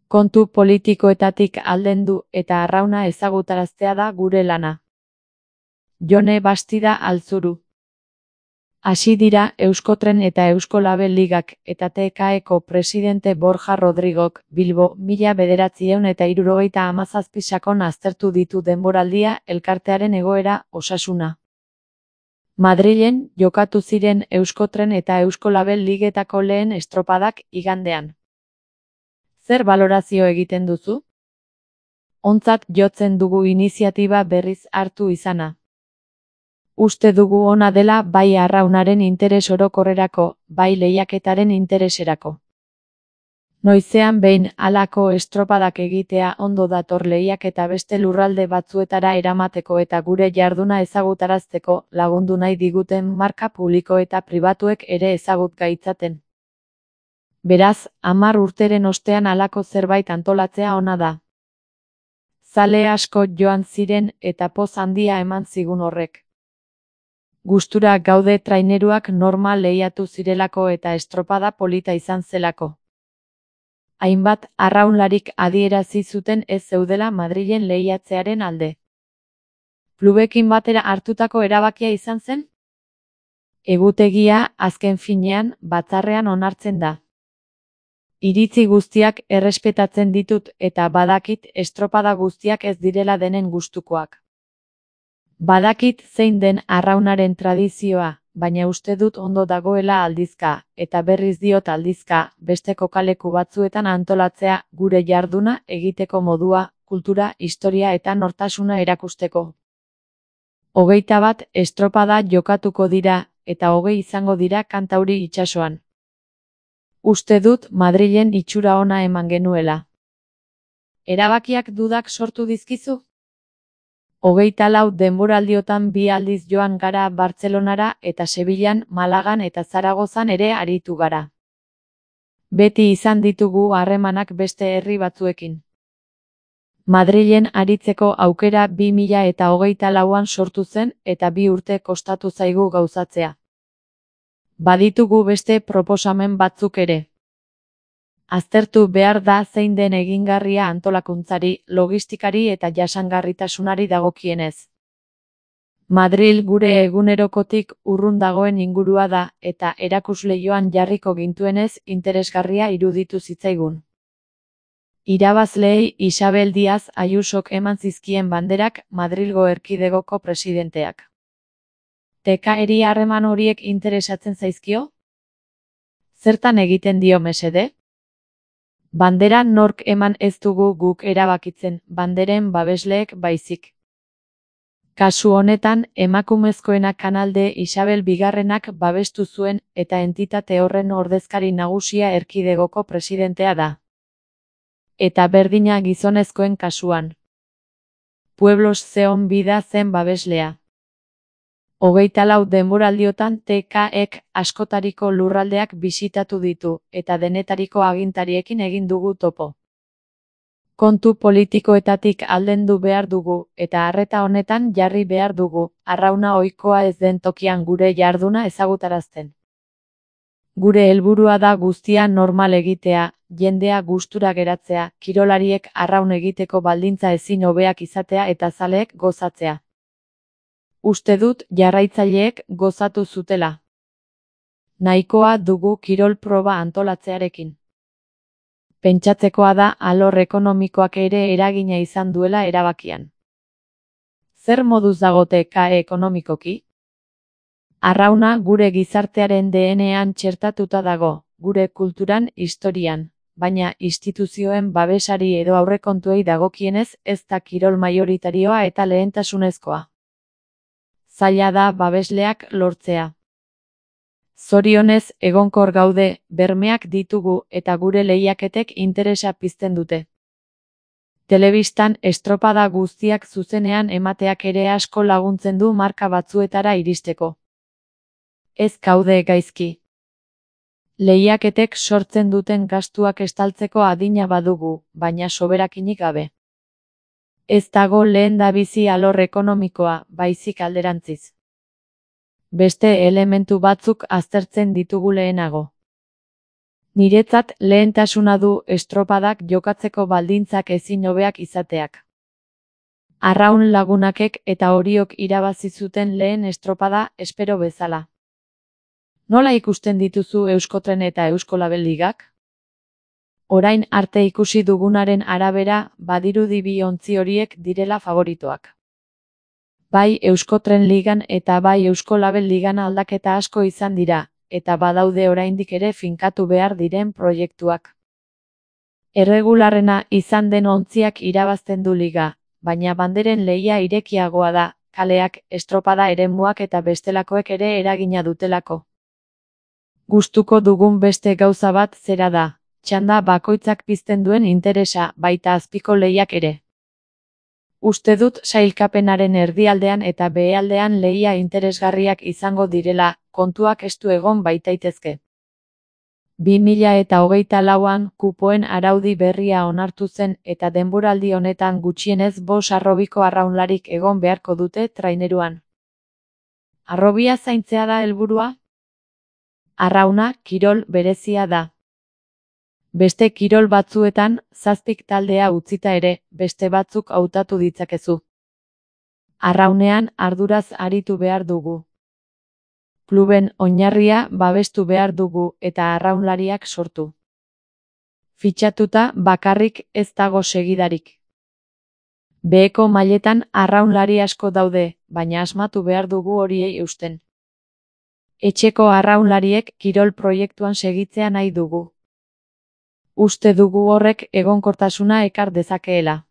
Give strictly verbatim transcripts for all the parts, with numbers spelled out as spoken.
Kontu politikoetatik aldendu eta arrauna ezagutaraztea da gure lana. Jone Bastida Altzuru. Hasi dira Euskotren eta Euskolabel Ligak eta T K Eko presidente Borja Rodrigok Bilbo mila bederatziehun eta hirurogeita hamazazpi sakon aztertu ditu denboraldia, elkartearen egoera, osasuna. Madrilen jokatu ziren Euskotren eta Euskolabel Ligetako lehen estropadak igandean. Zer balorazio egiten duzu? Ontzat jotzen dugu iniziatiba berriz hartu izana. Uste dugu ona dela bai arraunaren interes orokorrerako, bai lehiaketaren intereserako. Noizean behin halako estropadak egitea ondo dator lehiaketa beste lurralde batzuetara eramateko eta gure jarduna ezagutarazteko lagundu nahi diguten marka publiko eta pribatuek ere ezagut gaitzaten. Beraz, hamar urteren ostean halako zerbait antolatzea ona da. Zale asko joan ziren eta poz handia eman zigun horrek. Gustura gaude traineruak normal lehiatu zirelako eta estropada polita izan zelako. Hainbat arraunlarik adierazi zuten ez zeudela Madrilen lehiatzearen alde. Klubekin batera hartutako erabakia izan zen? Egutegia, azken finean, batzarrean onartzen da. Iritzi guztiak errespetatzen ditut eta badakit estropada guztiak ez direla denen gustukoak. Badakit zein den arraunaren tradizioa, baina uste dut ondo dagoela aldizka, eta berriz diot aldizka, beste kokaleku batzuetan antolatzea gure jarduna egiteko modua, kultura, historia eta nortasuna erakusteko. Hogeita bat estropada jokatuko dira, eta hogei izango dira Kantauri itsasoan. Uste dut Madrilen itxura ona eman genuela. Erabakiak dudak sortu dizkizu? Hogeita lau denboraldiotan bi aldiz joan gara Bartzelonara eta Sevillan, Malagan eta Zaragozan ere aritu gara. Beti izan ditugu harremanak beste herri batzuekin. Madrilen aritzeko aukera bi mila eta hogeita lauan sortu zen eta bi urte kostatu zaigu gauzatzea. Baditugu beste proposamen batzuk ere. Aztertu behar da zein den egingarria antolakuntzari, logistikari eta jasangarritasunari dagokienez. Madril gure egunerokotik urrun dagoen ingurua da eta erakusleihoan jarriko gintuenez interesgarria iruditu zitzaigun. Irabazleei Isabel Díaz Ayusok eman zizkien banderak Madrilgo erkidegoko presidenteak. Teka-eri harreman horiek interesatzen zaizkio? Zertan egiten dio mesede? Bandera nork eman ez dugu guk erabakitzen, banderen babesleek baizik. Kasu honetan, emakumezkoenak kanalde Isabel Bigarrenak babestu zuen eta entitate horren ordezkari nagusia erkidegoko presidentea da. Eta berdina gizonezkoen kasuan. Pueblos Zeon Bida zen babeslea. Hogeita lau denboraldiotan T K ek askotariko lurraldeak bisitatu ditu, eta denetariko agintariekin egin dugu topo. Kontu politikoetatik aldendu behar dugu, eta arreta honetan jarri behar dugu, arrauna ohikoa ez den tokian gure jarduna ezagutarazten. Gure helburua da guztia normal egitea, jendea gustura geratzea, kirolariek arraun egiteko baldintza ezin hobeak izatea eta zaleek gozatzea. Uste dut jarraitzaileek gozatu zutela. Nahikoa dugu kirol proba antolatzearekin. Pentsatzekoa da alor ekonomikoak ere eragina izan duela erabakian. Zer moduz dago T K ekonomikoki? Arrauna gure gizartearen D N A-an txertatuta dago, gure kulturan, historian, baina instituzioen babesari edo aurrekontuei dagokienez ez da kirol majoritarioa eta lehentasunezkoa. Zaila da babesleak lortzea. Zorionez, egonkor gaude, bermeak ditugu eta gure lehiaketek interesa pizten dute. Telebistan estropada guztiak zuzenean emateak ere asko laguntzen du marka batzuetara iristeko. Ez gaude gaizki. Lehiaketek sortzen duten gastuak estaltzeko adina badugu, baina soberakinik gabe. Ez dago lehendabizi alor ekonomikoa, baizik alderantziz. Beste elementu batzuk aztertzen ditugu lehenago. Niretzat lehentasuna du estropadak jokatzeko baldintzak ezin hobeak izateak. Arraun lagunakek eta horiok irabazi zuten lehen estropada espero bezala. Nola ikusten dituzu Euskotren eta Euskolabel ligak? Orain arte ikusi dugunaren arabera badirudi bi ontzi horiek direla favoritoak. Bai Euskotren ligan eta bai Euskolabel ligan aldaketa asko izan dira, eta badaude oraindik ere finkatu behar diren proiektuak. Erregularrena izan den ontziak irabazten du liga, baina banderen lehia irekiagoa da, kaleak, estropada eremuak eta bestelakoek ere eragina dutelako. Gustuko dugun beste gauza bat zera da, txanda bakoitzak pizten duen interesa, baita azpiko lehiak ere. Uste dut sailkapenaren erdialdean eta behealdean lehia interesgarriak izango direla, kontuak estu egon baitaitezke. bi mila eta hogeita lauan kupoen araudi berria onartu zen eta denboraldi honetan gutxienez bost harrobiko arraunlarik egon beharko dute traineruan. Harrobia zaintzea da helburua? Arrauna kirol berezia da. Beste kirol batzuetan, zazpik taldea utzita ere, beste batzuk hautatu ditzakezu. Arraunean arduraz aritu behar dugu. Kluben oinarria babestu behar dugu eta arraunlariak sortu. Fitxatuta bakarrik ez dago segidarik. Beheko mailetan arraunlari asko daude, baina asmatu behar dugu horiei eusten. Etxeko arraunlariek kirol proiektuan segitzea nahi dugu. Uste dugu horrek egonkortasuna ekar dezakeela.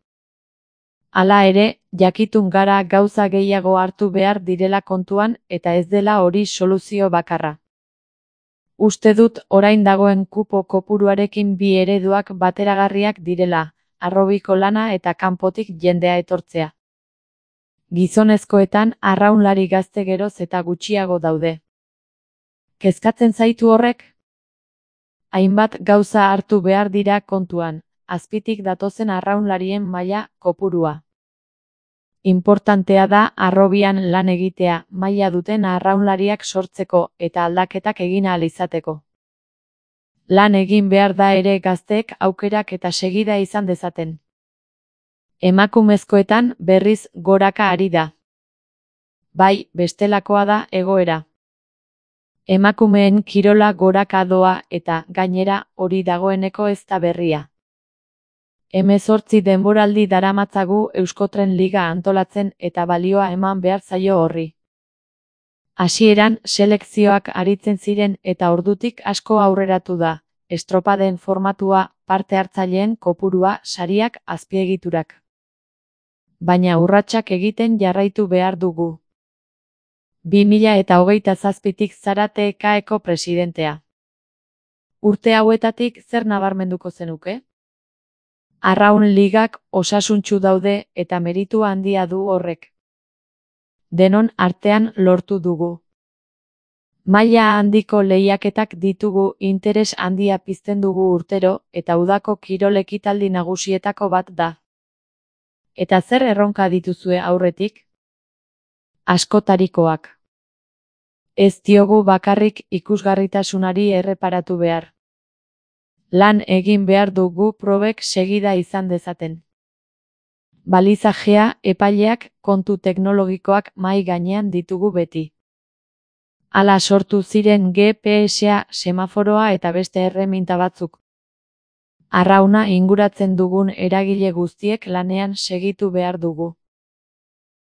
Hala ere, jakitun gara gauza gehiago hartu behar direla kontuan eta ez dela hori soluzio bakarra. Uste dut orain dagoen kupo kopuruarekin bi ereduak bateragarriak direla, harrobiko lana eta kanpotik jendea etortzea. Gizonezkoetan arraunlari gazte geroz eta gutxiago daude. Kezkatzen zaitu horrek? Hainbat gauza hartu behar dira kontuan, azpitik datozen arraunlarien maila kopurua. Inportantea da harrobian lan egitea, maila duten arraunlariak sortzeko eta aldaketak egin ahal izateko. Lan egin behar da ere gazteek aukerak eta segida izan dezaten. Emakumezkoetan berriz goraka ari da. Bai, bestelakoa da egoera. Emakumeen kirola goraka doa eta, gainera, hori dagoeneko ez da berria. Hemezortzi denboraldi daramatzagu Euskotren liga antolatzen eta balioa eman behar zaio horri. Hasieran selekzioak aritzen ziren eta ordutik asko aurreratu da, estropaden formatua, parte hartzaileen kopurua, sariak, azpiegiturak. Baina urratsak egiten jarraitu behar dugu. bi mila eta hogeita zazpitik zara T K eko presidentea. Urte hauetatik zer nabarmenduko zenuke? Arraun ligak osasuntsu daude eta meritu handia du horrek. Denon artean lortu dugu. Maila handiko lehiaketak ditugu, interes handia pizten dugu urtero eta udako kirol ekitaldi nagusietako bat da. Eta zer erronka dituzue aurretik? Askotarikoak. Ez diogu bakarrik ikusgarritasunari erreparatu behar. Lan egin behar dugu probek segida izan dezaten. Balizajea, epaileak, kontu teknologikoak mahai gainean ditugu beti. Hala sortu ziren G P S-a, semaforoa eta beste erreminta batzuk. Arrauna inguratzen dugun eragile guztiek lanean segitu behar dugu.